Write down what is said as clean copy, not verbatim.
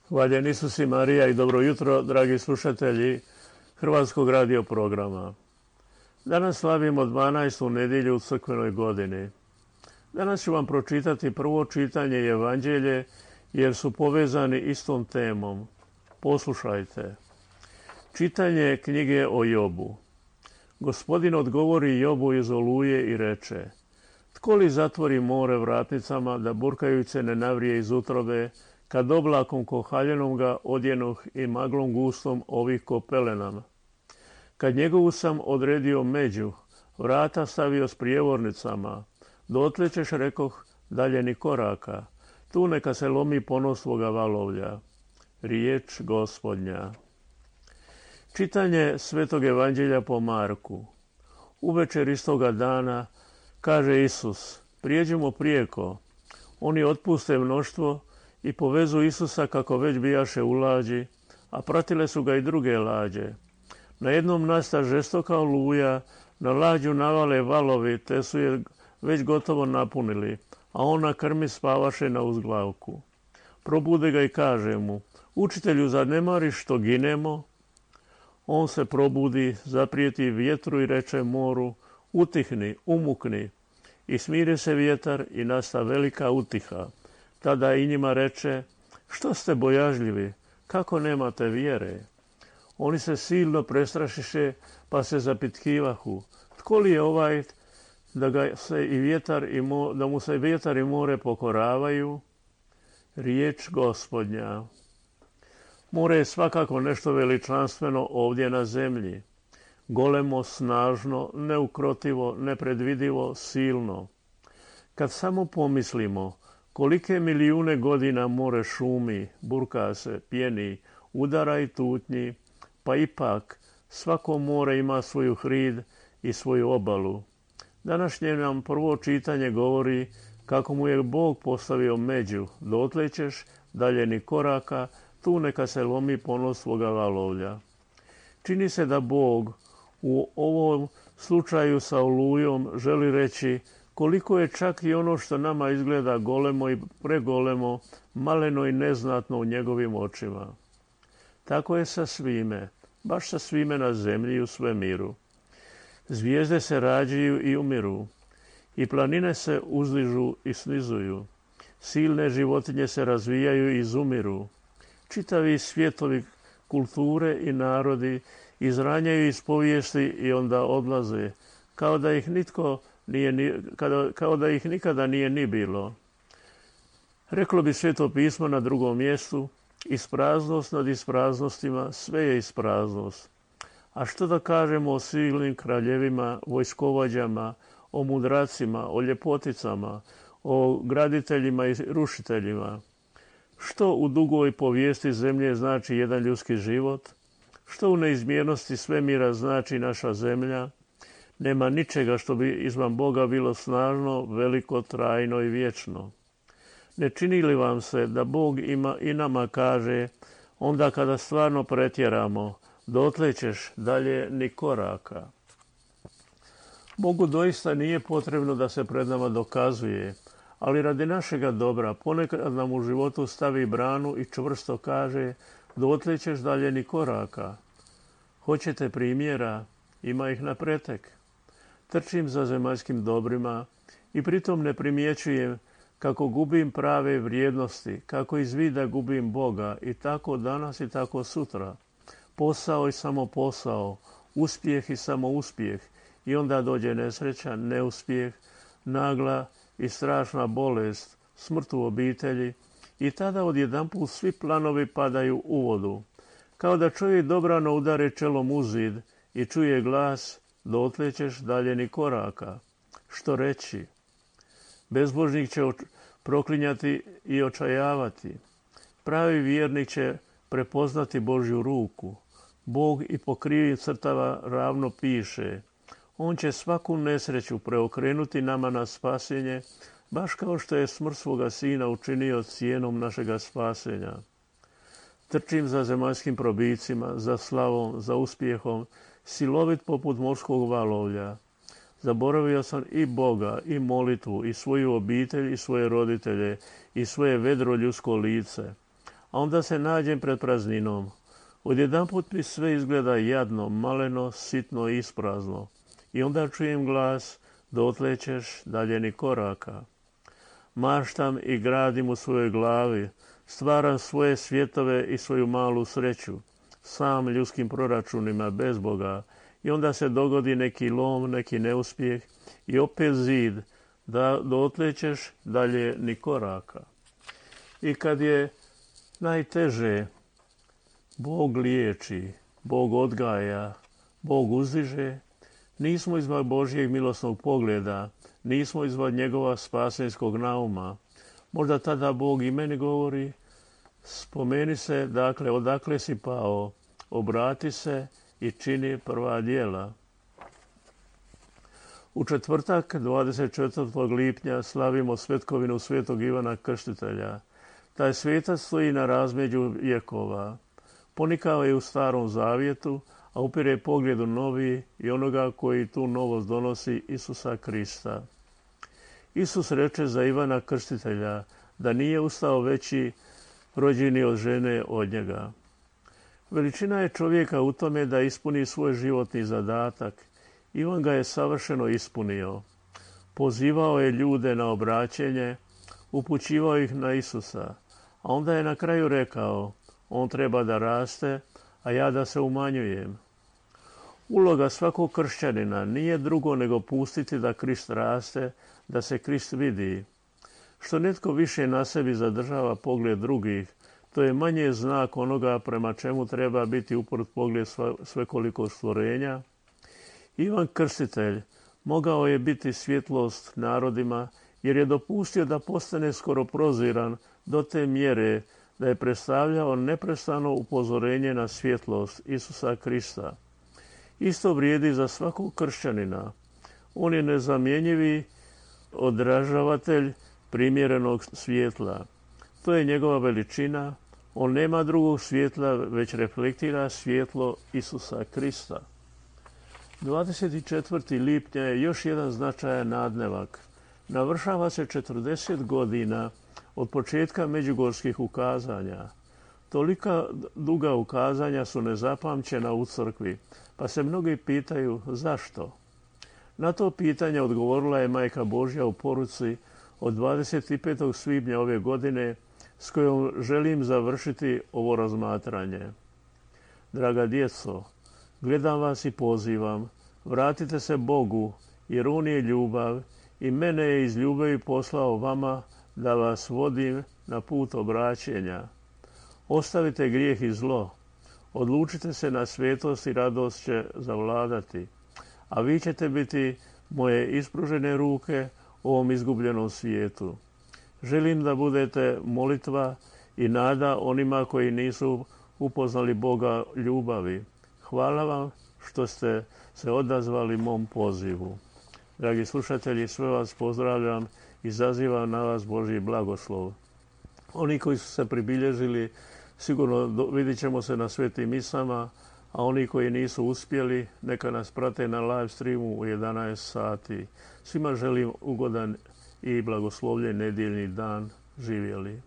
Hvaljen Isus i Marija i dobro jutro, dragi slušatelji Hrvatskog radio programa. Danas slavimo 12. nedjelju u crkvenoj godini. Danas ću vam pročitati prvo čitanje i evanđelje jer su povezani istom temom. Poslušajte. Čitanje knjige o Jobu. Gospodin odgovori Jobu iz oluje i reče: Tko li zatvori more vratnicama da burkajuć se ne navrije iz utrobe, kad oblakom kohaljenom ga odjenoh i maglom gustom ovih ko pelenama? Kad njegovu sam odredio među, vrata stavio s prijevornicama, dotle ćeš, rekoh, dalje ni koraka, tu neka se lomi ponos svoga valovlja. Riječ Gospodnja. Čitanje Svetog evanđelja po Marku. Uvečer istoga dana kaže Isus: prijeđimo prijeko. Oni otpuste mnoštvo i povezu Isusa kako već bijaše u lađi, a pratile su ga i druge lađe. Na jednom nasta žestoka oluja, na lađu navale valovi, te su je već gotovo napunili, a on na krmi spavaše na uzglavku. Probude ga i kaže mu: Učitelju, zar ne mariš što ginemo? On se probudi, zaprijeti vjetru i reče moru: Utihni, umukni. I smiri se vjetar i nasta velika utiha. Tada i njima reče: Što ste bojažljivi, kako nemate vjere? Oni se silno prestrašiše, pa se zapitkivahu: Tko li je ovaj da mu se vjetar i more pokoravaju? Riječ Gospodnja. More je svakako nešto veličanstveno ovdje na zemlji. Golemo, snažno, neukrotivo, nepredvidivo, silno. Kad samo pomislimo kolike milijune godina more šumi, burka se, pjeni, udara i tutnji, pa ipak svako more ima svoju hrid i svoju obalu. Današnje nam prvo čitanje govori kako mu je Bog postavio među, dotle ćeš, dalje ni koraka, tu neka se lomi ponos svoga valovlja. Čini se da Bog u ovom slučaju sa olujom želi reći koliko je čak i ono što nama izgleda golemo i pregolemo, maleno i neznatno u njegovim očima. Tako je sa svime, baš sa svime na zemlji i u svemiru. Zvijezde se rađaju i umiru, i planine se uzdižu i snizuju. Silne životinje se razvijaju i izumiru. Čitavi svjetovi, kulture i narodi izranjaju iz povijesti i onda odlaze, kao da ih nikada nije ni bilo. Reklo bi Sveto pismo na drugom mjestu: ispraznost nad ispraznostima, sve je ispraznost. A što da kažemo o silnim kraljevima, vojskovođama, o mudracima, o ljepoticama, o graditeljima i rušiteljima? Što u dugoj povijesti zemlje znači jedan ljudski život? Što u neizmjernosti svemira znači naša zemlja? Nema ničega što bi izvan Boga bilo snažno, veliko, trajno i vječno. Ne čini li vam se da Bog i nama kaže, onda kada stvarno pretjeramo: dotle ćeš, dalje ni koraka? Bogu doista nije potrebno da se pred nama dokazuje, ali radi našega dobra ponekad nam u životu stavi branu i čvrsto kaže: dotle ćeš, dalje ni koraka. Hoćete primjera? Ima ih na pretek. Trčim za zemaljskim dobrima i pritom ne primjećujem kako gubim prave vrijednosti, kako iz vida gubim Boga, i tako danas i tako sutra. Posao i samo posao, uspjeh i samo uspjeh, i onda dođe nesreća, neuspjeh, nagla i strašna bolest, smrt u obitelji, i tada odjedanput svi planovi padaju u vodu. Kao da čovjek dobrano udari čelom u zid i čuje glas: dotle ćeš, dalje ni koraka. Što reći? Bezbožnik će proklinjati i očajavati. Pravi vjernik će prepoznati Božju ruku. Bog i po krivim crtava ravno piše. On će svaku nesreću preokrenuti nama na spasenje, baš kao što je smrt svoga sina učinio cijenom našega spasenja. Trčim za zemaljskim probicima, za slavom, za uspjehom, silovit poput morskog valovlja. Zaboravio sam i Boga, i molitvu, i svoju obitelj, i svoje roditelje, i svoje vedro ljudsko lice. a onda se nađem pred prazninom. Odjedanput mi sve izgleda jadno, maleno, sitno i isprazno. I onda čujem glas, dotle ćeš dalje ni koraka. Maštam i gradim u svojoj glavi, stvaram svoje svjetove i svoju malu sreću, sam ljudskim proračunima bez Boga, i onda se dogodi neki lom, neki neuspjeh i opet zid, da dotle ćeš dalje ni koraka. I kad je najteže, Bog liječi, Bog odgaja, Bog uzdiže, nismo izvan Božjeg milosnog pogleda, nismo izvan njegova spasenskog nauma. Možda tada Bog i meni govori, spomeni se, dakle, odakle si pao, obrati se i čini prva djela. U četvrtak, 24. lipnja, slavimo svetkovinu svetog Ivana Krstitelja. Taj svetac stoji na razmeđu vjekova. Ponikao je u Starom zavjetu, a upire pogled u novi i onoga koji tu novost donosi, Isusa Krista. Isus reče za Ivana Krstitelja da nije ustao veći rođeni od žene od njega. Veličina je čovjeka u tome da ispuni svoj životni zadatak. Ivan ga je savršeno ispunio. Pozivao je ljude na obraćenje, upućivao ih na Isusa, a onda je na kraju rekao, on treba da raste, a ja da se umanjujem. Uloga svakog kršćanina nije drugo nego pustiti da Krist raste, da se Krist vidi. Što netko više na sebi zadržava pogled drugih, to je manje znak onoga prema čemu treba biti uprt pogled svekolikog stvorenja. Ivan Krstitelj mogao je biti svjetlost narodima jer je dopustio da postane skoro proziran do te mjere da je predstavljao neprestano upozorenje na svjetlost Isusa Krista. Isto vrijedi za svakog kršćanina. On je nezamjenjivi odražavatelj primjerenog svjetla. To je njegova veličina. On nema drugog svjetla, već reflektira svjetlo Isusa Krista. 24. lipnja je još jedan značajan nadnevak. Navršava se 40 godina od početka međugorskih ukazanja. Tolika duga ukazanja su nezapamćena u crkvi, pa se mnogi pitaju zašto. Na to pitanje odgovorila je Majka Božja u poruci od 25. svibnja ove godine, s kojom želim završiti ovo razmatranje. Draga djeco, gledam vas i pozivam, vratite se Bogu, jer On je ljubav i mene je iz ljubavi poslao vama da vas vodim na put obraćenja. Ostavite grijeh i zlo, odlučite se na svetost i radost će zavladati, a vi ćete biti moje ispružene ruke u ovom izgubljenom svijetu. Želim da budete molitva i nada onima koji nisu upoznali Boga ljubavi. Hvala vam što ste se odazvali mom pozivu. Dragi slušatelji, sve vas pozdravljam i zazivam na vas Božji blagoslov. Oni koji su se pribilježili, sigurno vidjet ćemo se na svetim misama, a oni koji nisu uspjeli, neka nas prate na live streamu u 11 sati. Svima želim ugodan i blagoslovljen nedjeljni dan. Živjeli.